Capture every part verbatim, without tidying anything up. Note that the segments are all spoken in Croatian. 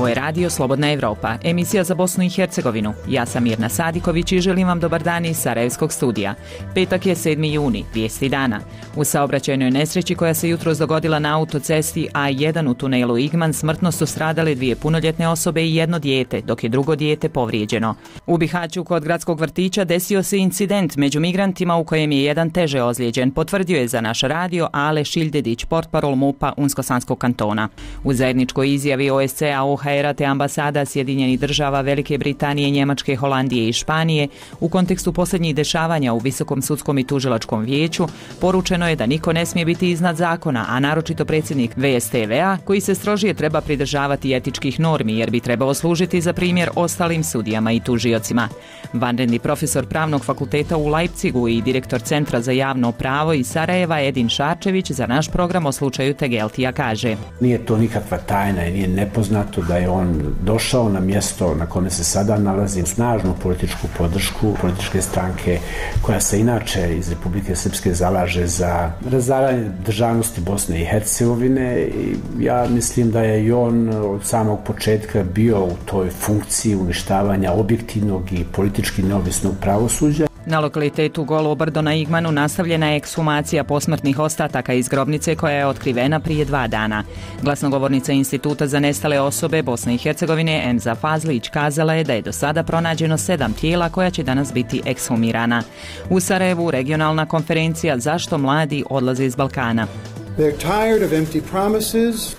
Ovo je Radio Slobodna Evropa, emisija za Bosnu i Hercegovinu. Ja sam Mirna Sadiković i želim vam dobar dan iz Sarajevskog studija. Petak je sedmi juni, vijesti dana. U saobraćajnoj nesreći koja se jutros dogodila na autocesti A jedan u tunelu Igman smrtno su stradale dvije punoljetne osobe i jedno dijete, dok je drugo dijete povrijeđeno. U Bihaću kod gradskog vrtića desio se incident među migrantima u kojem je jedan teže ozlijeđen, potvrdio je za naš radio Ale Šiljdedić, portparol MUP-a Unsko-Sanskog kantona. U zajedničkoj izjavi O S C A, O H R-a te ambasada Sjedinjenih država Velike Britanije, Njemačke, Holandije i Španije u kontekstu posljednjih dešavanja u Visokom sudskom i tužilačkom vijeću poručeno je da niko ne smije biti iznad zakona, a naročito predsjednik V S T V-a koji se strožije treba pridržavati etičkih normi jer bi trebao služiti za primjer ostalim sudijama i tužiocima. Vanredni profesor Pravnog fakulteta u Leipzigu i direktor Centra za javno pravo iz Sarajeva Edin Šarčević za naš program o slučaju Tegeltija kaže: Nije to nikakva tajna i nije nepoznato da je on došao na mjesto na kome se sada nalazi snažnu političku podršku političke stranke koja se inače iz Republike Srpske zalaže za razaranje državnosti Bosne i Hercegovine i ja mislim da je i on od samog početka bio u toj funkciji uništavanja objektivnog i politički neovisnog pravosuđa. Na lokalitetu Golo brdo na Igmanu nastavljena je ekshumacija posmrtnih ostataka iz grobnice koja je otkrivena prije dva dana. Glasnogovornica Instituta za nestale osobe Bosne i Hercegovine Emza Fazlić kazala je da je do sada pronađeno sedam tijela koja će danas biti ekshumirana. U Sarajevu regionalna konferencija Zašto mladi odlaze iz Balkana.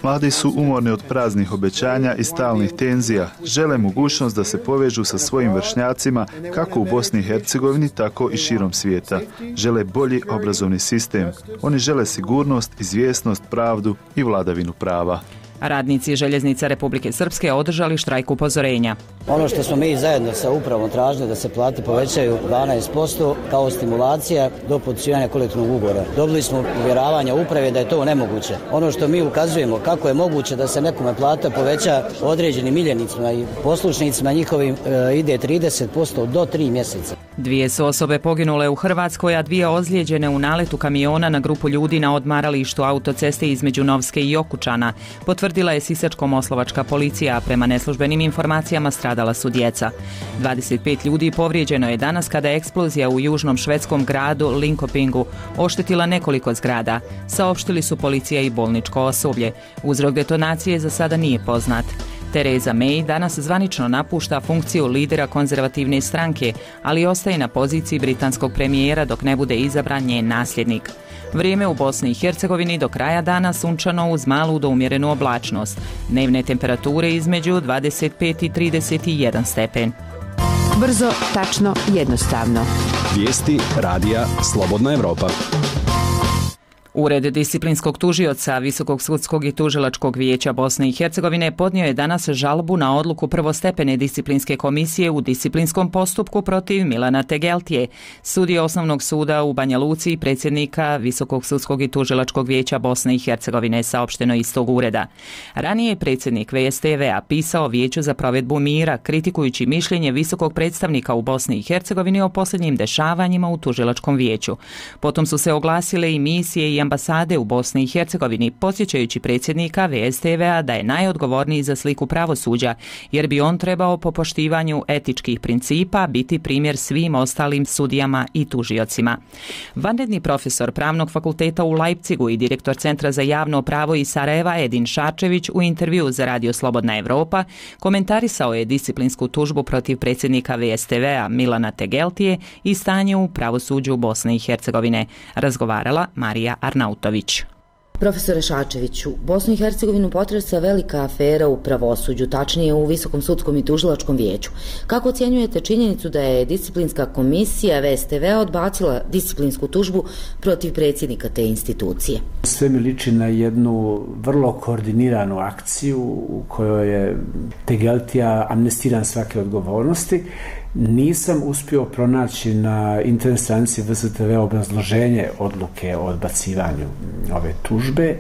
Mladi su umorni od praznih obećanja i stalnih tenzija. Žele mogućnost da se povežu sa svojim vršnjacima kako u Bosni i Hercegovini, tako i širom svijeta. Žele bolji obrazovni sistem. Oni žele sigurnost, izvjesnost, pravdu i vladavinu prava. Radnici Željeznica Republike Srpske održali štrajk upozorenja. Ono što smo mi zajedno sa upravom tražili da se plate povećaju dvanaest posto kao stimulacija do potpisivanja kolektivnog ugovora. Dobili smo uvjeravanja uprave da je to nemoguće. Ono što mi ukazujemo kako je moguće da se nekome plata poveća određenim miljenicima i poslušnicima njihovim e, ide trideset posto do tri mjeseca. Dvije su osobe poginule u Hrvatskoj, a dvije ozlijeđene u naletu kamiona na grupu ljudi na odmaralištu autoceste između Novske i Okučana. Potvrdila je sisačko-moslovačka policija, a prema neslužbenim informacijama stradala su djeca. dvadeset pet ljudi povrijeđeno je danas kada je eksplozija u južnom švedskom gradu Linkopingu oštetila nekoliko zgrada. Saopštili su policija i bolničko osoblje. Uzrok detonacije za sada nije poznat. Theresa May danas zvanično napušta funkciju lidera konzervativne stranke, ali ostaje na poziciji britanskog premijera dok ne bude izabran njen nasljednik. Vrijeme u Bosni i Hercegovini do kraja dana sunčano uz malu do umjerenu oblačnost. Dnevne temperature između dvadeset pet i trideset jedan stepen. Brzo, tačno, jednostavno. Vijesti radija Slobodna Evropa. Ured disciplinskog tužioca Visokog sudskog i tužilačkog vijeća Bosne i Hercegovine podnio je danas žalbu na odluku prvostepene disciplinske komisije u disciplinskom postupku protiv Milana Tegeltije, sudije Osnovnog suda u Banja Luci i predsjednika Visokog sudskog i tužilačkog vijeća Bosne i Hercegovine, saopšteno iz tog ureda. Ranije je predsjednik V S T V-a pisao Vijeću za provedbu mira, kritikujući mišljenje visokog predstavnika u Bosni i Hercegovini o posljednjim dešavanjima u tužilačkom vijeću. Potom su se oglasile i misije i ambasade u Bosni i Hercegovini, podsjećajući predsjednika V S T V-a da je najodgovorniji za sliku pravosuđa, jer bi on trebao po poštivanju etičkih principa biti primjer svim ostalim sudijama i tužiocima. Vanredni profesor Pravnog fakulteta u Leipzigu i direktor Centra za javno pravo iz Sarajeva Edin Šarčević u intervju za Radio Slobodna Evropa komentarisao je disciplinsku tužbu protiv predsjednika V S T V-a Milana Tegeltije i stanje u pravosuđu Bosne i Hercegovine. Razgovarala Marija Arnautović. Profesore Šarčeviću, Bosnu i Hercegovinu potresa velika afera u pravosuđu, tačnije u Visokom sudskom i tužilačkom vijeću. Kako ocjenjujete činjenicu da je disciplinska komisija V S T V-a odbacila disciplinsku tužbu protiv predsjednika te institucije? Sve mi liči na jednu vrlo koordiniranu akciju u kojoj je Tegeltija amnestiran svake odgovornosti. Nisam uspio pronaći na internet stranici V S T V obrazloženje odluke o odbacivanju ove tužbe,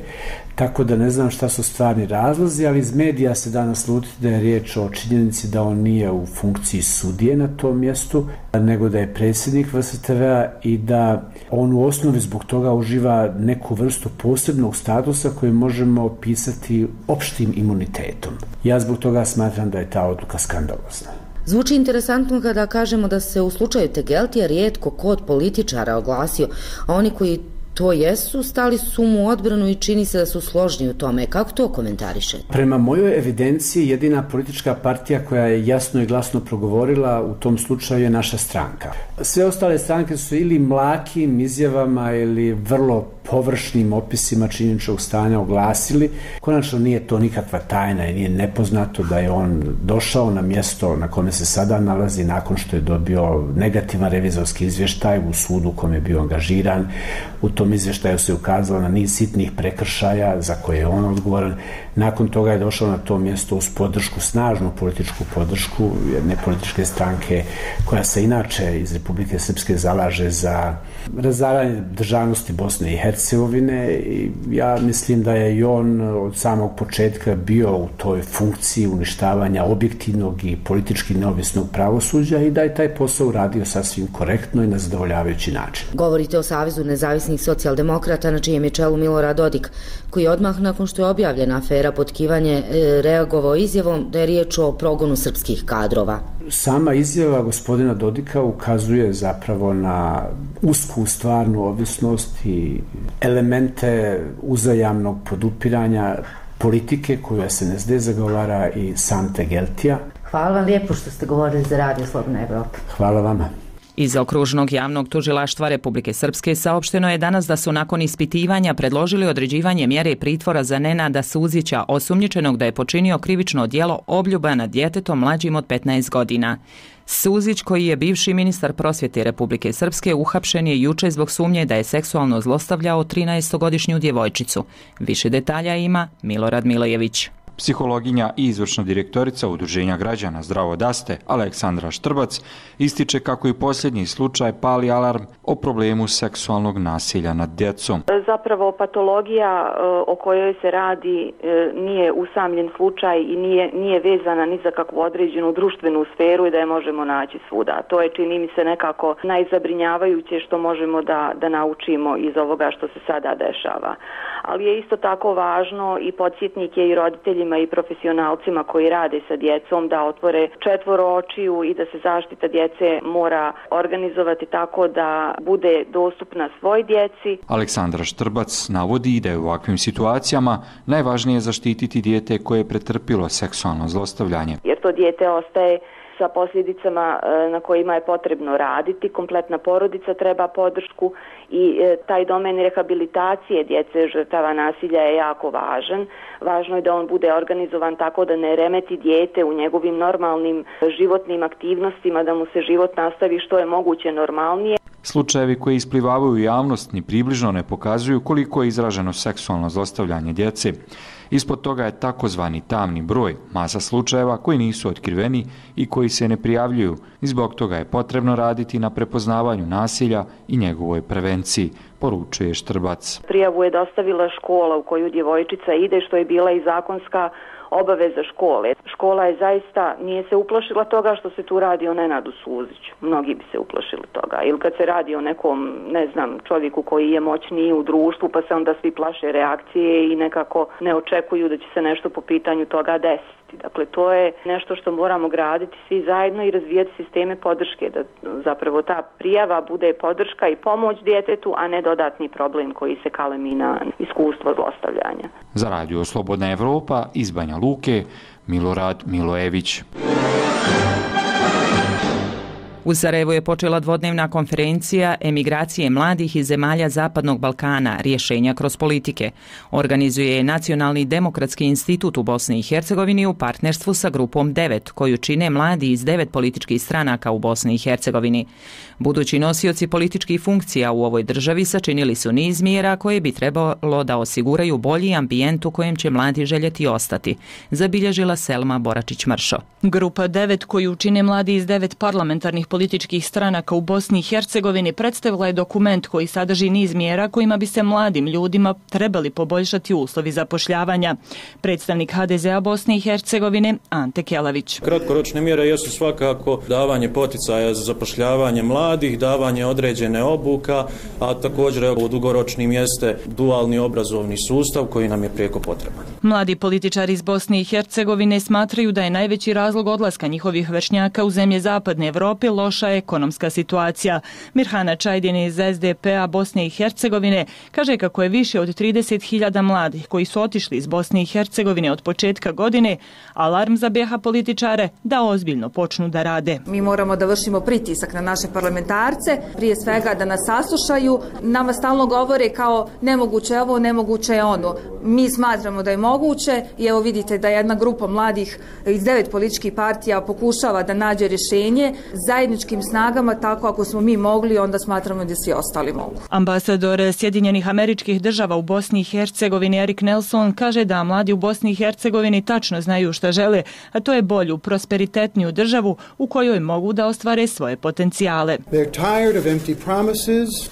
tako da ne znam šta su stvarni razlozi, ali iz medija se danas sluti da je riječ o činjenici da on nije u funkciji sudije na tom mjestu, nego da je predsjednik V S T V-a i da on u osnovi zbog toga uživa neku vrstu posebnog statusa koji možemo opisati opštim imunitetom. Ja zbog toga smatram da je ta odluka skandalozna. Zvuči interesantno kada kažemo da se u slučaju Tegeltija rijetko ko od političara oglasio, a oni koji to jesu, stali su mu u odbranu i čini se da su složni u tome. Kako to komentarišete? Prema mojoj evidenciji, jedina politička partija koja je jasno i glasno progovorila u tom slučaju je naša stranka. Sve ostale stranke su ili mlakim izjavama ili vrlo površnim opisima činjeničnog stanja oglasili. Konačno nije to nikakva tajna i nije nepoznato da je on došao na mjesto na kome se sada nalazi nakon što je dobio negativan revizorski izvještaj u sudu u kojem je bio angažiran. U tom izvještaju se ukazalo na niz sitnih prekršaja za koje je on odgovoran. Nakon toga je došao na to mjesto uz podršku, snažnu političku podršku jedne političke stranke koja se inače iz Republike Srpske zalaže za razaranje državnosti Bosne i Hercegovine i ja mislim da je i on od samog početka bio u toj funkciji uništavanja objektivnog i politički neovisnog pravosuđa i da je taj posao uradio sasvim korektno i na zadovoljavajući način. Govorite o Savezu nezavisnih socijaldemokrata na čijem je čelu Milorad Dodik, koji odmah nakon što je objavljena afera potkivanje reagovao izjavom da je riječ o progonu srpskih kadrova. Sama izjava gospodina Dodika ukazuje zapravo na usku stvarnu ovisnost i elemente uzajamnog podupiranja politike koju S N S D zagovara i sam Tegeltija. Hvala vam lijepo što ste govorili za Radio Slobodna Evropa. Hvala vama. Iz Okružnog javnog tužilaštva Republike Srpske saopšteno je danas da su nakon ispitivanja predložili određivanje mjere pritvora za Nenada Suzića, osumnjičenog da je počinio krivično djelo obljuba nad djetetom mlađim od petnaest godina. Suzić, koji je bivši ministar prosvjete Republike Srpske, uhapšen je juče zbog sumnje da je seksualno zlostavljao trinaestogodišnju djevojčicu. Više detalja ima Milorad Milojević. Psihologinja i izvršna direktorica Udruženja građana Zdravo daste, Aleksandra Štrbac, ističe kako i posljednji slučaj pali alarm o problemu seksualnog nasilja nad djecom. Zapravo patologija o kojoj se radi nije usamljen slučaj i nije, nije vezana ni za kakvu određenu društvenu sferu i da je možemo naći svuda. To je, čini mi se, nekako najzabrinjavajuće što možemo da, da naučimo iz ovoga što se sada dešava. Ali je isto tako važno i podsjetnik je i roditeljima i profesionalcima koji rade sa djecom da otvore četvoro očiju i da se zaštita djece mora organizovati tako da bude dostupna svoj djeci. Aleksandra Štrbac navodi da je u ovakvim situacijama najvažnije zaštititi dijete koje je pretrpilo seksualno zlostavljanje. Jer to dijete ostaje sa posljedicama na kojima je potrebno raditi. Kompletna porodica treba podršku i taj domen rehabilitacije djece žrtava nasilja je jako važan. Važno je da on bude organizovan tako da ne remeti dijete u njegovim normalnim životnim aktivnostima, da mu se život nastavi što je moguće normalnije. Slučajevi koji isplivavaju u javnost ni približno ne pokazuju koliko je izraženo seksualno zlostavljanje djece. Ispod toga je takozvani tamni broj, masa slučajeva koji nisu otkriveni i koji se ne prijavljuju. I zbog toga je potrebno raditi na prepoznavanju nasilja i njegovoj prevenciji, poručuje Štrbac. Prijavu je dostavila škola u koju djevojčica ide, što je bila i zakonska obaveza škole. Škola je zaista, nije se uplašila toga što se tu radi o Nenadu Suziću. Mnogi bi se uplašili toga. Ili kad se radi o nekom, ne znam, čovjeku koji je moćniji u društvu, pa se onda svi plaše reakcije i nekako ne očekuju da će se nešto po pitanju toga desiti. Dakle, to je nešto što moramo graditi svi zajedno i razvijati sisteme podrške, da zapravo ta prijava bude podrška i pomoć djetetu, a ne dodatni problem koji se kalemi na iskustvo zlostavljanja. Za Radio Slobodna Evropa iz Banja Luke, Milorad Milojević. U Sarajevu je počela dvodnevna konferencija Emigracije mladih iz zemalja Zapadnog Balkana, rješenja kroz politike. Organizuje je Nacionalni demokratski institut u Bosni i Hercegovini u partnerstvu sa grupom devet, koju čine mladi iz devet političkih stranaka u Bosni i Hercegovini. Budući nosioci političkih funkcija u ovoj državi sačinili su niz mjera koje bi trebalo da osiguraju bolji ambijent u kojem će mladi željeti ostati, zabilježila Selma Boračić-Mršo. Grupa devet, koju čine mladi iz devet parlamentarnih političkih stranaka u Bosni i Hercegovini, predstavila je dokument koji sadrži niz mjera kojima bi se mladim ljudima trebali poboljšati uslovi zapošljavanja. Predstavnik ha de zea Bosne i Hercegovine Ante Kelavić. Kratkoročne mjere jesu svakako davanje poticaja za zapošljavanje mladih, davanje određene obuka, a također u dugoročnim jeste dualni obrazovni sustav koji nam je prijeko potreban. Mladi političari iz Bosne i Hercegovine smatraju da je najveći razlog odlaska njihovih vršnjaka u zemlje Zapadne Evrope loša ekonomska situacija. Mirhana Čajdin iz es de pe a Bosne i Hercegovine kaže kako je više od trideset hiljada mladih koji su otišli iz Bosne i Hercegovine od početka godine alarm za be ha političare da ozbiljno počnu da rade. Mi moramo da vršimo pritisak na naše parlamentarce, prije svega da nas saslušaju. Nama stalno govore kao nemoguće ovo, nemoguće je ono. Mi smatramo da je moguće i evo vidite da jedna grupa mladih iz devet političkih partija pokušava da nađe rješenje zajedničkim snagama, tako ako smo mi mogli, onda smatramo da svi ostali mogu. Ambasador Sjedinjenih Američkih Država u Bosni i Hercegovini Erik Nelson kaže da mladi u Bosni i Hercegovini tačno znaju šta žele, a to je bolju, prosperitetniju državu u kojoj mogu da ostvare svoje potencijale.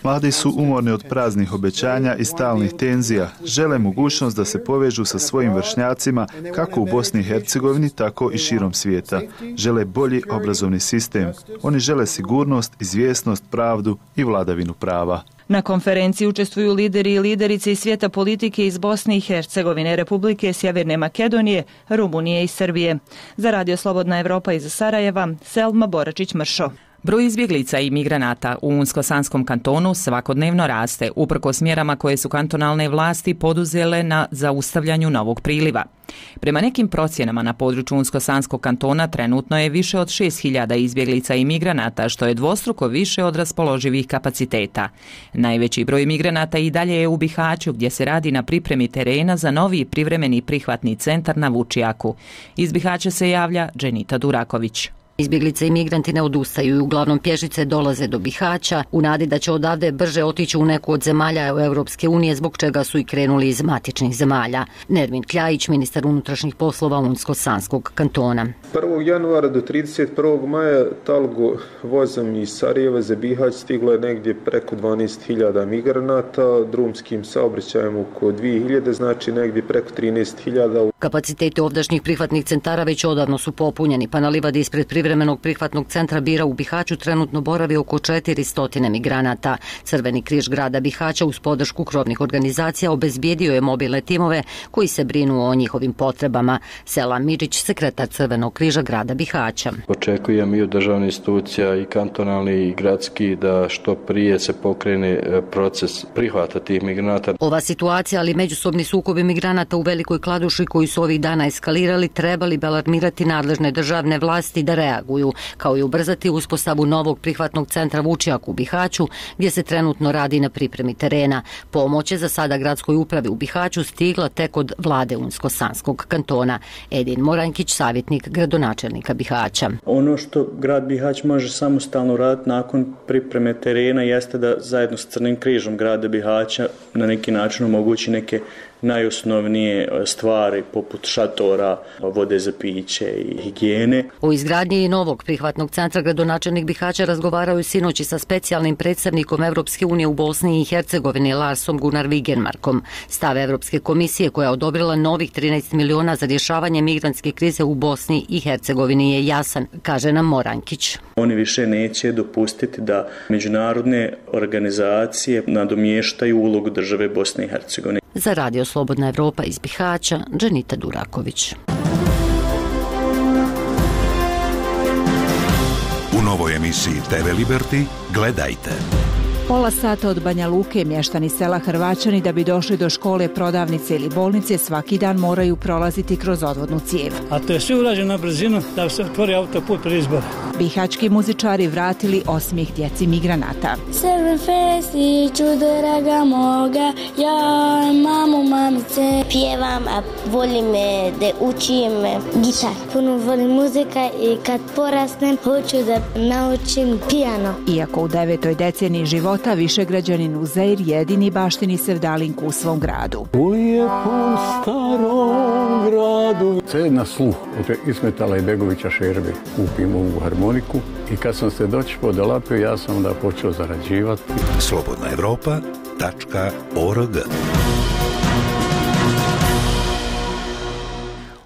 Mladi su umorni od praznih obećanja i stalnih tenzija. Žele mogućnost da se povežu sa svojim vršnjacima kako u Bosni i Hercegovini, tako i širom svijeta. Žele bolji obrazovni sistem. Oni žele sigurnost, izvjesnost, pravdu i vladavinu prava. Na konferenciji učestvuju lideri i liderice iz svijeta politike iz Bosne i Hercegovine, Republike Sjeverne Makedonije, Rumunije i Srbije. Za Radio Slobodna Evropa iz Sarajeva, Selma Boračić-Mršo. Broj izbjeglica i migranata u Unsko-Sanskom kantonu svakodnevno raste, uprkos mjerama koje su kantonalne vlasti poduzele na zaustavljanju novog priliva. Prema nekim procjenama na području Unsko-Sanskog kantona trenutno je više od šest hiljada izbjeglica i migranata, što je dvostruko više od raspoloživih kapaciteta. Najveći broj migranata i dalje je u Bihaću, gdje se radi na pripremi terena za novi privremeni prihvatni centar na Vučijaku. Iz Bihaća se javlja Dženita Duraković. Izbjeglice i migranti ne odustaju i uglavnom pješice dolaze do Bihaća u nadi da će odavde brže otići u neku od zemalja Europske unije, zbog čega su i krenuli iz matičnih zemalja. Nermin Kljajić, ministar unutrašnjih poslova Unsko-Sanskog kantona. prvog januara do trideset prvog maja talgo vozom iz Sarajeva za Bihać stiglo je negdje preko dvanaest hiljada migranata, drumskim saobraćajem oko dvije hiljade, znači negdje preko trinaest hiljada. Kapaciteti ovdašnjih prihvatnih centara već odavno su popunjeni, pa na livadi ispred privremenog prihvatnog centra Bira u Bihaću trenutno boravi oko četiristo migranata. Crveni križ grada Bihaća uz podršku krovnih organizacija obezbijedio je mobilne timove koji se brinu o njihovim potrebama. Selam Midžić, sekretar Crvenog križa grada Bihaća. Očekujem i od državnih institucija i kantonalni i gradski da što prije se pokrene proces prihvata tih migranata. Ova situacija, ali međusobni sukobi migranata u Velikoj Kladuši koji su ovih dana eskalirali, trebali bi alarmirati nadležne državne vlasti da reaguju, kao i ubrzati uspostavu novog prihvatnog centra Vučijak u Bihaću, gdje se trenutno radi na pripremi terena. Pomoć je za sada gradskoj upravi u Bihaću stigla tek od vlade Unsko-Sanskog kantona. Edin Morankić, savjetnik gradonačelnika Bihaća. Ono što grad Bihać može samostalno raditi nakon pripreme terena jeste da zajedno s Crnim križom grada Bihaća na neki način omogući neke najosnovnije stvari poput šatora, vode za piće i higijene. O izgradnji novog prihvatnog centra gradonačelnik Bihaća razgovarao je sinoći sa specijalnim predstavnikom Evropske unije u Bosni i Hercegovini Larsom Gunnar Wigenmarkom. Stav Evropske komisije koja je odobrila novih trinaest miliona za rješavanje migrantske krize u Bosni i Hercegovini je jasan, kaže nam Morankić. Oni više neće dopustiti da međunarodne organizacije nadomještaju ulogu države Bosne i Hercegovine. Za Radio Slobodna Evropa iz Bihaća, Dženita Duraković. U novoj emisiji te ve Liberty gledajte. Pola sata od Banja Luke mještani sela Hrvaćani da bi došli do škole, prodavnice ili bolnice svaki dan moraju prolaziti kroz odvodnu cijev. A to je sve urađeno na brzinu da se otvori autoput pred izbore. Bihaćki muzičari vratili osmijeh djeci migranata. Sedam festiću draga moga, ja mamu mamice. Pjevam, a volim da učim gitar. Puno volim muzika i kad porasnem hoću da naučim pijano. Iako u devetoj deceniji života višegrađanin Uzeir jedini baštini sevdalinku u svom gradu. U lijepom starom gradu. Sve na sluh od Ismetala i Begovića Šerbe kupim ovu harmoniku i kad sam se doći podolapio ja sam onda počeo zarađivati. slobodna evropa tačka org.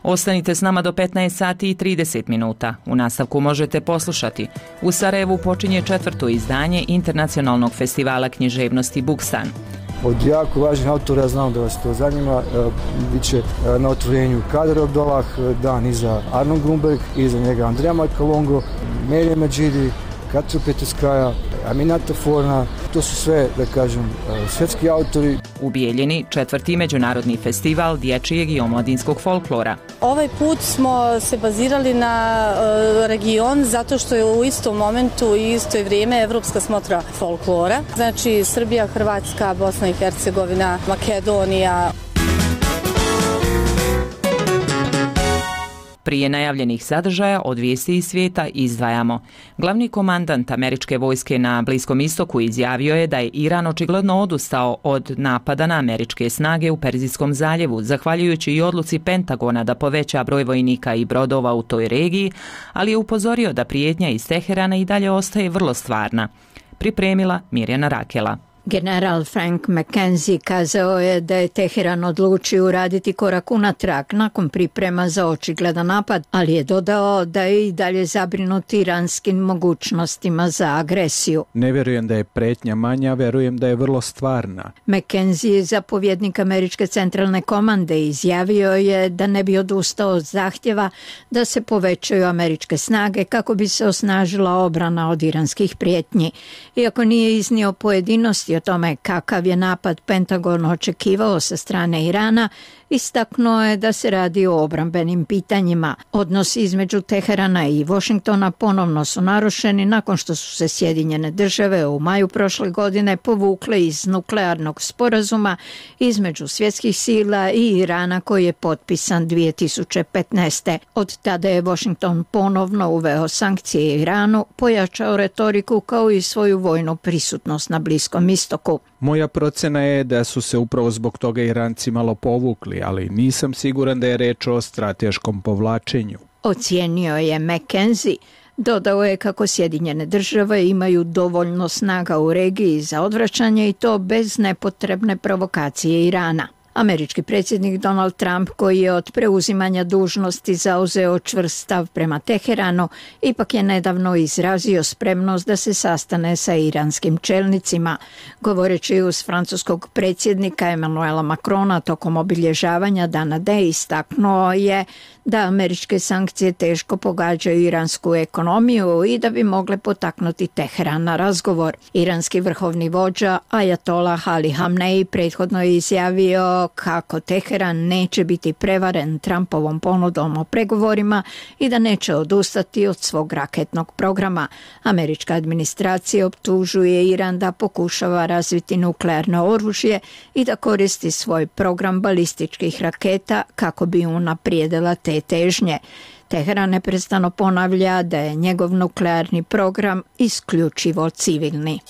Ostanite s nama do petnaest sati i trideset minuta. U nastavku možete poslušati. U Sarajevu počinje četvrto izdanje Internacionalnog festivala književnosti Bukstan. Od jako važnih autora, ja znam da vas to zanima, bit će na otvorenju Kader Abdullah, dan iza Arnold Grunberg, iza njega Andreja Majkalongo, Merije Medžidi, Katru Petuskaja, Aminata Forna, to su sve, da kažem, svjetski autori. U Bijeljini četvrti međunarodni festival dječjeg i omladinskog folklora. Ovaj put smo se bazirali na uh, region zato što je u istom momentu i isto vrijeme Evropska smotra folklora. Znači Srbija, Hrvatska, Bosna i Hercegovina, Makedonija. Prije najavljenih sadržaja od vijesti iz svijeta izdvajamo. Glavni komandant američke vojske na Bliskom istoku izjavio je da je Iran očigledno odustao od napada na američke snage u Perzijskom zaljevu, zahvaljujući i odluci Pentagona da poveća broj vojnika i brodova u toj regiji, ali je upozorio da prijetnja iz Teherana i dalje ostaje vrlo stvarna. Pripremila Mirjana Rakela. General Frank McKenzie kazao je da je Teheran odlučio uraditi korak unatrag nakon priprema za očigledan napad, ali je dodao da je i dalje zabrinut iranskim mogućnostima za agresiju. Ne vjerujem da je pretnja manja, vjerujem da je vrlo stvarna. McKenzie, zapovjednik američke centralne komande, izjavio je da ne bi odustao od zahtjeva da se povećaju američke snage kako bi se osnažila obrana od iranskih prijetnji. Iako nije iznio pojedinosti o tome kakav je napad Pentagon očekivao sa strane Irana, istaknuo je da se radi o obrambenim pitanjima. Odnosi između Teherana i Washingtona ponovno su narušeni nakon što su se Sjedinjene države u maju prošle godine povukle iz nuklearnog sporazuma između svjetskih sila i Irana koji je potpisan dvije tisuće petnaeste. Od tada je Washington ponovno uveo sankcije Iranu, pojačao retoriku kao i svoju vojnu prisutnost na Bliskom istoku. Moja procena je da su se upravo zbog toga Iranci malo povukli, ali nisam siguran da je reč o strateškom povlačenju. Ocijenio je McKenzie. Dodao je kako Sjedinjene države imaju dovoljno snaga u regiji za odvraćanje i to bez nepotrebne provokacije Irana. Američki predsjednik Donald Trump, koji je od preuzimanja dužnosti zauzeo čvrst stav prema Teheranu, ipak je nedavno izrazio spremnost da se sastane sa iranskim čelnicima. Govoreći uz francuskog predsjednika Emmanuela Macrona tokom obilježavanja Dana D, istaknuo je da američke sankcije teško pogađaju iransku ekonomiju i da bi mogle potaknuti Teheran na razgovor. Iranski vrhovni vođa Ajatolah Ali Hamnei prethodno je izjavio kako Teheran neće biti prevaren Trumpovom ponudom o pregovorima i da neće odustati od svog raketnog programa. Američka administracija optužuje Iran da pokušava razviti nuklearno oružje i da koristi svoj program balističkih raketa kako bi unaprijedila te težnje. Teheran neprestano ponavlja da je njegov nuklearni program isključivo civilni.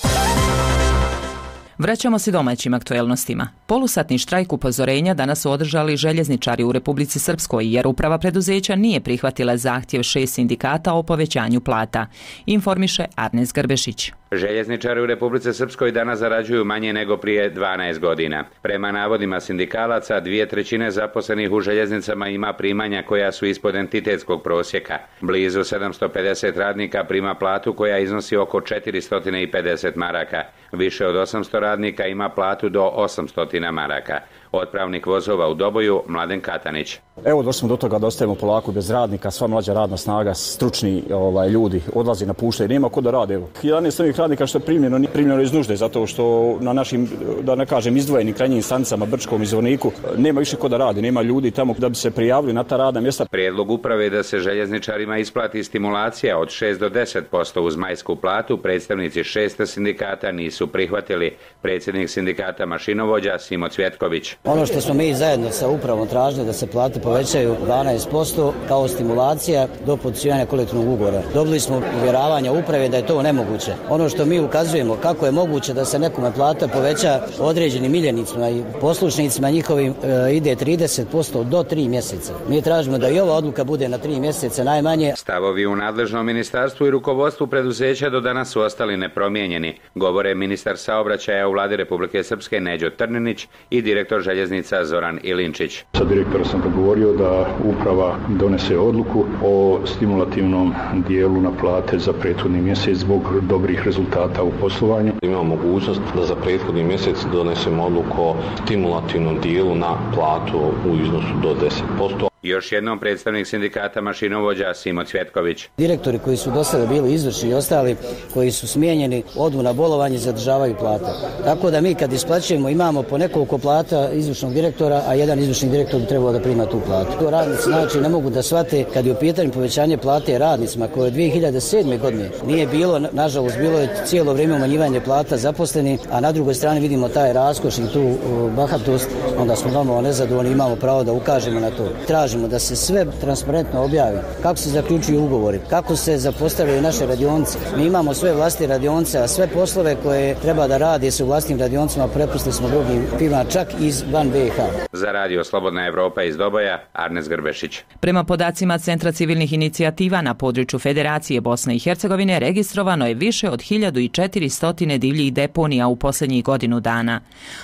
Vraćamo se domaćim aktuelnostima. Polusatni štrajk upozorenja danas su održali željezničari u Republici Srpskoj jer uprava preduzeća nije prihvatila zahtjev šest sindikata o povećanju plata. Informiše Arnes Grbešić. Željezničari u Republici Srpskoj danas zarađuju manje nego prije dvanaest godina. Prema navodima sindikalaca, dvije trećine zaposlenih u željeznicama ima primanja koja su ispod entitetskog prosjeka. Blizu sedamsto pedeset radnika prima platu koja iznosi oko četiristo pedeset maraka. Više od osamsto radnika ima platu do osamsto maraka. Otpravnik vozova u Doboju, Mladen Katanić. Evo došli smo do toga da ostajemo polako bez radnika, sva mlađa radna snaga, stručni ovaj, ljudi odlazi, napuštaju, nema ko da rade. Evo, jedanaest ovih radnika što je primljeno, nije primljeno iz nužde, zato što na našim, da ne kažem, izdvojenim krajnjim stanicama, Brčkom i Zvorniku, nema više ko da radi, nema ljudi tamo da bi se prijavili na ta radna mjesta. Prijedlog uprave je da se željezničarima isplati stimulacija od šest do deset posto uz majsku platu, predstavnici šest sindikata nisu prihvatili. Predsjednik sindikata mašinovođa Simo Cvjetković. Ono što smo mi zajedno sa upravom tražili da se plate povećaju dvanaest posto kao stimulacija do potpisivanja kolektivnog ugovora. Dobili smo uvjeravanja uprave da je to nemoguće. Ono što mi ukazujemo kako je moguće da se nekome plata poveća određenim miljenicima i poslušnicima njihovim e, ide trideset posto do tri mjeseca. Mi tražimo da i ova odluka bude na tri mjeseca najmanje. Stavovi u nadležnom ministarstvu i rukovodstvu preduzeća do danas su ostali nepromijenjeni, govore ministar saobraćaja u vladi Republike Srpske Neđo Trninić i direktor željeznica Zoran Ilinčić. Sa direktora sam dogovorio da uprava donese odluku o stimulativnom dijelu na plate za prethodni mjesec zbog dobrih rezultata u poslovanju. Imamo mogućnost da za prethodni mjesec donesemo odluku o stimulativnom dijelu na platu u iznosu do deset posto. Još jednom predstavnik sindikata mašinovođa Simo Cvjetković. Direktori koji su do sada bili izvršni i ostali koji su smijenjeni odu na bolovanje i zadržavaju plate. Tako da mi kad isplaćujemo imamo po nekoliko plata izvršnog direktora, a jedan izvršni direktor bi trebao da prima tu platu. Radnici znači ne mogu da shvate kad je u pitanju povećanje plate radnicima koje od dvije hiljade sedme godine nije bilo, nažalost bilo je cijelo vrijeme umanjivanje plata zaposleni, a na drugoj strani vidimo taj raskoš i tu bahatost, onda smo normalno nezadovoljni, imamo pravo da ukažemo na to. Tražimo da se sve transparentno objavi, kako se zaključuju ugovori, kako se zapostavljaju naše radionice. Mi imamo sve vlastne radionice, a sve poslove koje treba da radi se u vlastnim radionicama prepustili smo drugim firmama, čak iz van B i H. Za radio Slobodna Evropa iz Doboja, Arnes Grbešić. Prema podacima Centra civilnih inicijativa na području Federacije Bosne i Hercegovine registrovano je više od hiljadu četiristo divljih deponija u posljednjih godinu dana.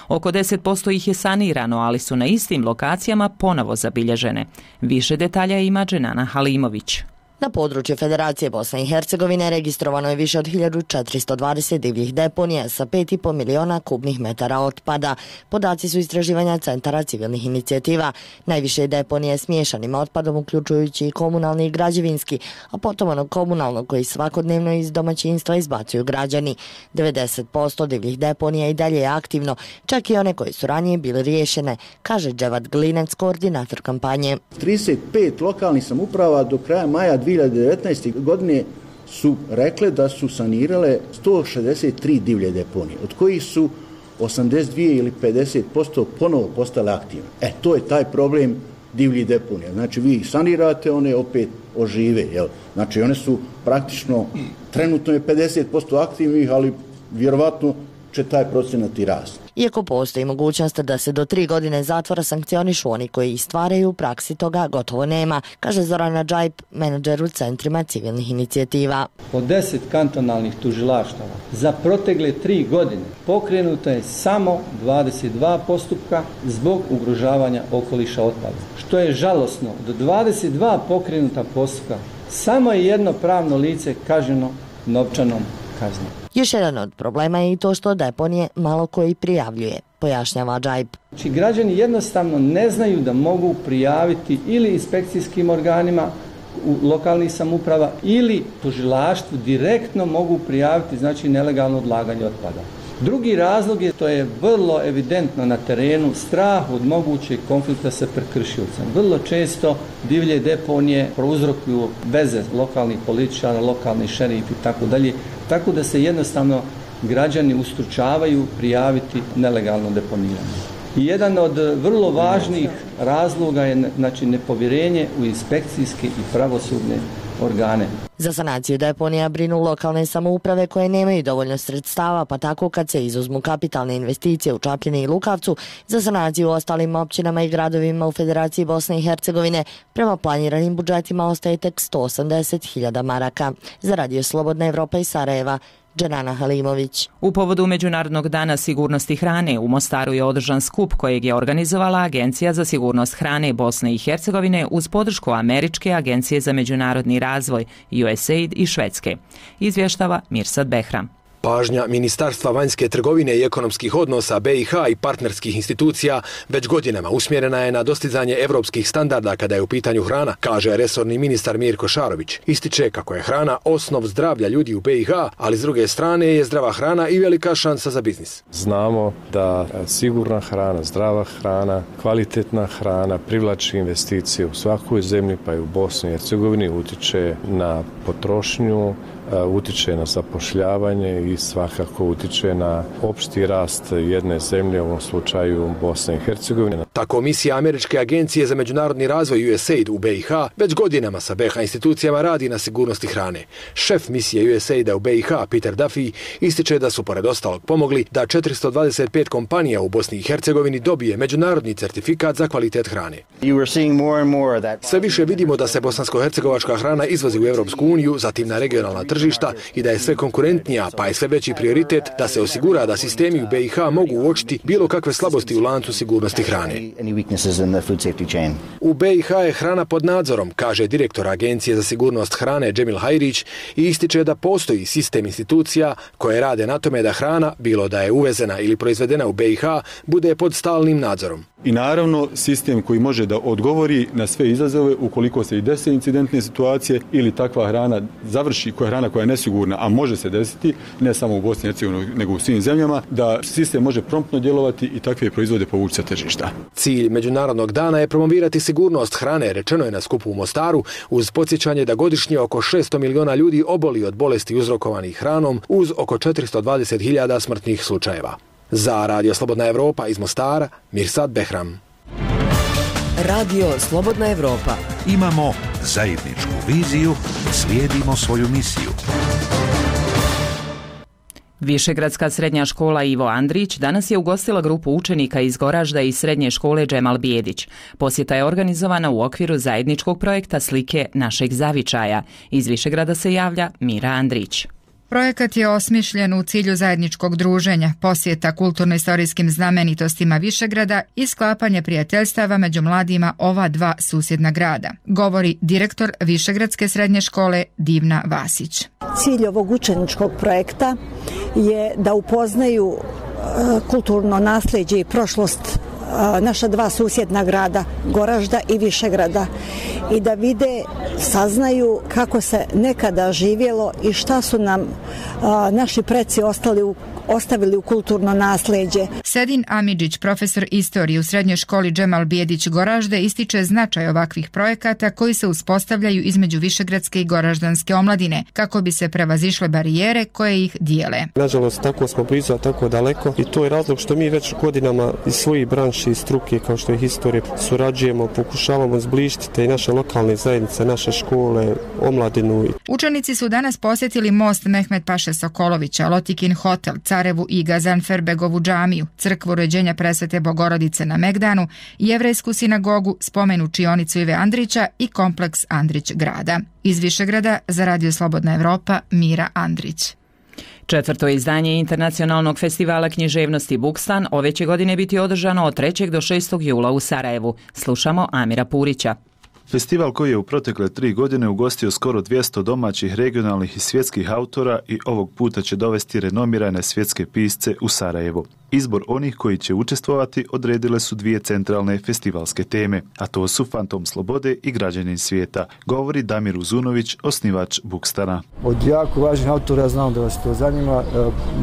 Oko deset posto ih je sanirano, ali su na istim lokacijama ponovo zabilježene. Više detalja ima Dženana Halimović. Na području Federacije Bosne i Hercegovine registrovano je više od hiljadu četiristo dvadeset divljih deponija sa pet i pol miliona kubnih metara otpada. Podaci su istraživanja Centara civilnih inicijativa. Najviše je deponije s miješanim otpadom, uključujući i komunalni i građevinski, a potom ono komunalno koji svakodnevno iz domaćinstva izbacuju građani. devedeset posto divljih deponija i dalje je aktivno, čak i one koje su ranije bile riješene, kaže Dževad Glinec, koordinator kampanje. trideset pet lokalnih samouprava do kraja maja dvije hiljade devetnaeste. godine su rekle da su sanirale sto šezdeset tri divlje deponije, od kojih su osamdeset dvije ili pedeset posto ponovo postale aktivne. E, to je taj problem divljih deponija. Znači, vi ih sanirate, one opet ožive. Jel? Znači, one su praktično, trenutno je pedeset posto aktivnih, ali vjerovatno će taj procenat i rasti. Iako postoji mogućnost da se do tri godine zatvora sankcionišu oni koji stvaraju, u praksi toga gotovo nema, kaže Zorana Džajp, menadžer u centrima civilnih inicijativa. Od deset kantonalnih tužilaštava za protekle tri godine pokrenuto je samo dvadeset dva postupka zbog ugrožavanja okoliša otpada. Što je žalosno, do dvadeset dva pokrenuta postupka samo je jedno pravno lice kažnjeno novčanom kaznom. Još jedan od problema je i to što deponije malo koji prijavljuje, pojašnjava Džajp. Znači, građani jednostavno ne znaju da mogu prijaviti ili inspekcijskim organima u lokalnih samouprava ili tužilaštvu direktno mogu prijaviti, znači, nelegalno odlaganje otpada. Drugi razlog je, to je vrlo evidentno na terenu, strah od mogućeg konflikta sa prekršiocem. Vrlo često divlje deponije prouzrokuju veze lokalnih političara, lokalnih šerifi i tako dalje, tako da se jednostavno građani ustručavaju prijaviti nelegalno deponiranje. I jedan od vrlo važnih razloga je, znači, nepovjerenje u inspekcijske i pravosudne organe. Za sanaciju deponija brinu lokalne samouprave koje nemaju dovoljno sredstava, pa tako kad se izuzmu kapitalne investicije u Čapljini i Lukavcu, za sanaciju u ostalim općinama i gradovima u Federaciji Bosne i Hercegovine prema planiranim budžetima ostaje tek sto osamdeset hiljada maraka. Za radio Slobodna Evropa iz Sarajeva, Dženana Halimović. U povodu Međunarodnog dana sigurnosti hrane u Mostaru je održan skup kojeg je organizovala Agencija za sigurnost hrane Bosne i Hercegovine uz podršku Američke agencije za međunarodni razvoj U S A I D i Švedske. Izvještava Mirsad Behram. Pažnja Ministarstva vanjske trgovine i ekonomskih odnosa B i H i partnerskih institucija već godinama usmjerena je na dostizanje evropskih standarda kada je u pitanju hrana, kaže resorni ministar Mirko Šarović. Ističe kako je hrana osnov zdravlja ljudi u B i H, ali s druge strane je zdrava hrana i velika šansa za biznis. Znamo da sigurna hrana, zdrava hrana, kvalitetna hrana privlači investicije u svakoj zemlji, pa i u Bosni i Hercegovini, utiče na potrošnju, utiče na zapošljavanje i svakako utiče na opšti rast jedne zemlje, u ovom slučaju Bosne i Hercegovine. Tako misija Američke agencije za međunarodni razvoj U S A I D u B i H već godinama sa B i H institucijama radi na sigurnosti hrane. Šef misije U S A I D-a u B i H, Peter Duffy, ističe da su pored ostalog pomogli da četiristo dvadeset pet kompanija u Bosni i Hercegovini dobije međunarodni certifikat za kvalitet hrane. Sve više vidimo da se bosansko-hercegovačka hrana izvozi u Europsku uniju, zatim na regionalna tržišta i da je sve konkurentnija, pa je sve veći prioritet da se osigura da sistemi u B i H mogu uočiti bilo kakve slabosti u lancu sigurnosti hrane. U B i H je hrana pod nadzorom, kaže direktor Agencije za sigurnost hrane Džemil Hajrić i ističe da postoji sistem institucija koje rade na tome da hrana, bilo da je uvezena ili proizvedena u B i H, bude pod stalnim nadzorom. I naravno sistem koji može da odgovori na sve izazove ukoliko se i dese incidentne situacije ili takva hrana završi, koja je hrana koja je nesigurna, a može se desiti, ne samo u Bosni i Hercegovini, nego u svim zemljama, da sistem može promptno djelovati i takve proizvode povući sa tržišta. Cilj Međunarodnog dana je promovirati sigurnost hrane, rečeno je na skupu u Mostaru, uz podsjećanje da godišnje oko šesto miliona ljudi oboli od bolesti uzrokovanih hranom, uz oko četiristo dvadeset hiljada smrtnih slučajeva. Za Radio Slobodna Evropa iz Mostara, Mirsad Behram. Radio Slobodna Evropa. Imamo zajedničku viziju, slijedimo svoju misiju. Višegradska srednja škola Ivo Andrić danas je ugostila grupu učenika iz Goražda i srednje škole Džemal Bijedić. Posjeta je organizovana u okviru zajedničkog projekta Slike našeg zavičaja. Iz Višegrada se javlja Mira Andrić. Projekat je osmišljen u cilju zajedničkog druženja, posjeta kulturno-istorijskim znamenitostima Višegrada i sklapanje prijateljstava među mladima ova dva susjedna grada, govori direktor Višegradske srednje škole Divna Vasić. Cilj ovog učeničkog projekta je da upoznaju kulturno nasljeđe i prošlost naša dva susjedna grada, Goražda i Višegrada, i da vide, saznaju kako se nekada živjelo i šta su nam a, naši preci ostali u, ostavili u kulturno nasljeđe. Sedin Amidžić, profesor istorije u srednjoj školi Džemal Bijedić Goražde, ističe značaj ovakvih projekata koji se uspostavljaju između višegradske i goraždanske omladine, kako bi se prevazišle barijere koje ih dijele. Nažalost, tako smo blizu, a tako daleko, i to je razlog što mi već godinama iz svojih branši i struke, kao što je historije, surađujemo, pokušavamo zbližiti te naše lokalne zajednice, naše škole, omladinu. Učenici su danas posjetili most Mehmet Paše Sokolovića, Lotikin hotel, Carevu i Gazanferbegovu džamiju, crkvu Rođenja Presvete Bogorodice na Megdanu, jevrejsku sinagogu, spomen učionicu Ive Andrića i kompleks Andrić grada. Iz Višegrada za Radio Slobodna Evropa, Mira Andrić. Četvrto izdanje internacionalnog festivala književnosti Bukstan ove će godine biti održano od trećeg do šestog jula u Sarajevu. Slušamo Amira Purića. Festival koji je u protekle tri godine ugostio skoro dvjesto domaćih, regionalnih i svjetskih autora i ovog puta će dovesti renomirane svjetske pisce u Sarajevo. Izbor onih koji će učestvovati odredile su dvije centralne festivalske teme, a to su Fantom slobode i Građanin svijeta, govori Damir Uzunović, osnivač Bukstana. Od jako važnih autora, znam da vas to zanima,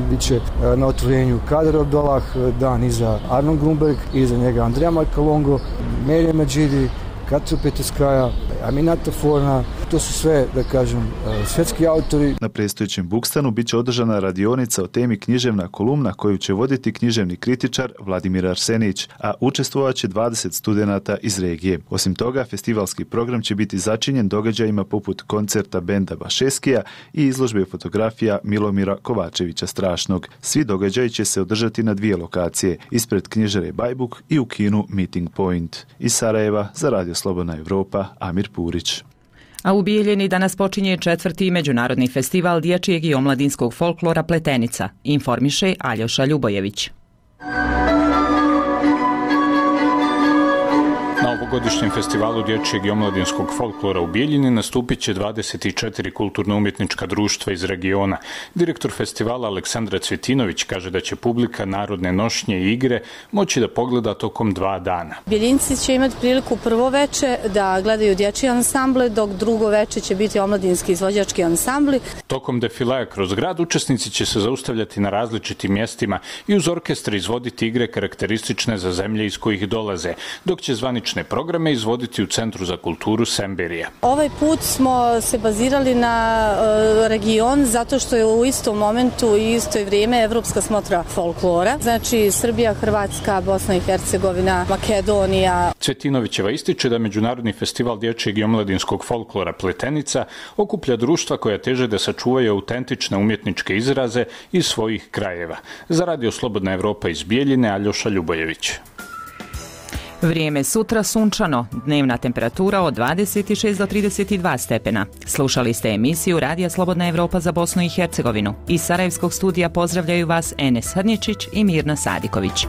bit će na otvorenju Kader Abdolah, dan iza Arnon Grunberg, iza njega Andrija Markalongo, Merje Medžidi, Katru Petuskaja, Aminata Forna, to su sve, da kažem, svjetski autori. Na predstojećem Bukstanu bit će održana radionica o temi književna kolumna koju će voditi književni kritičar Vladimir Arsenić, a učestvovat će dvadeset studenata iz regije. Osim toga, festivalski program će biti začinjen događajima poput koncerta benda Bašeskija i izložbe fotografija Milomira Kovačevića Strašnog. Svi događaji će se održati na dvije lokacije, ispred knjižare Bajbuk i u kinu Meeting Point. Iz Sarajeva za Radio Slobodna Evropa, Amir Purić. A u Bijeljini danas počinje četvrti međunarodni festival dječjeg i omladinskog folklora Pletenica, informiše Aljoša Ljubojević. Na Ovogodišnjem festivalu dječjeg i omladinskog folklora u Bijeljini nastupit će dvadeset četiri kulturno-umjetnička društva iz regiona. Direktor festivala Aleksandra Cvjetinović kaže da će publika narodne nošnje i igre moći da pogleda tokom dva dana. Bijeljinci će imati priliku prvo veče da gledaju dječji ansambl, dok drugo veče će biti omladinski izvođački ansambli. Tokom defilaja kroz grad učesnici će se zaustavljati na različitim mjestima i uz orkestre izvoditi igre karakteristične za zemlje iz kojih dolaze, dok će zvanične programe izvoditi u Centru za kulturu Semberija. Ovaj put smo se bazirali na e, region zato što je u istom momentu i isto vrijeme Evropska smotra folklora. Znači Srbija, Hrvatska, Bosna i Hercegovina, Makedonija. Cvjetinovićeva ističe da Međunarodni festival dječjeg i omladinskog folklora Pletenica okuplja društva koja teže da sačuvaju autentične umjetničke izraze iz svojih krajeva. Za Radio Slobodna Evropa iz Bijeljine, Aljoša Ljubojević. Vrijeme sutra sunčano, dnevna temperatura od dvadeset šest do trideset dva stepena. Slušali ste emisiju Radija Slobodna Evropa za Bosnu i Hercegovinu. Iz Sarajevskog studija pozdravljaju vas Enes Hrnječić i Mirna Sadiković.